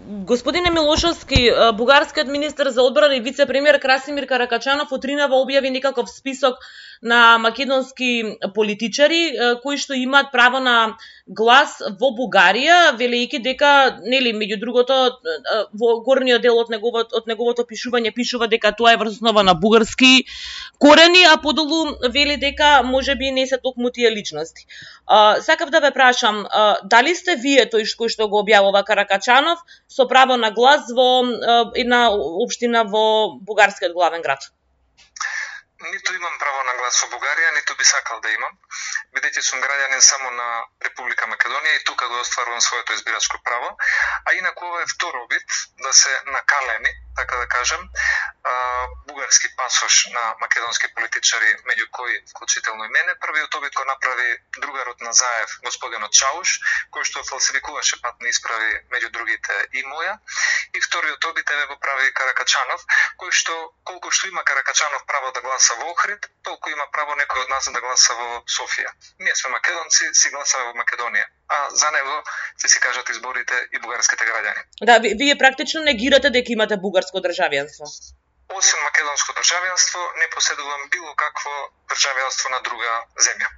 Господине Милошовски, бугарскиот министер за одбрана и вице-премиер Красимир Каракачанов утринава објави некаков список на македонски политичари кои што имаат право на глас во Бугарија, велејќи дека, нели, меѓу другото, во горниот дел од неговото пишување пишува дека тоа е врз основа на бугарски корени, а подолу вели дека можеби не се токму тие личности. Сакав да ве прашам, дали сте вие тој кој што го објавува Каракачанов со право на глас во една општина во бугарскиот главен град? Ниту имам право на глас во Бугарија, ниту би сакал да имам, бидејќи сум граѓанин само на Република Македонија и тука го остварувам своето избирачко право, а инаку ова е втор обид да се накалеми, така да кажем, бугарски пасош на македонски политичари, меѓу кои вклучително и мене. Првиот обид го направи другарот на Заев, господинот Чауш, кој што фалсификуваше патни исправи, меѓу другите и моја. И вториот обид го прави Каракачанов, кој што, колку што има Каракачанов право да гласа во Охрид, толку има право некој од нас да гласа во Софија. Ние сме македонци, си гласаме во Македонија, а за него се си кажат изборите и бугарските граѓани. Да, вие практично негирате дека имате бугарско државјанство. Освен македонско државјанство, не поседувам било какво државјанство на друга земја.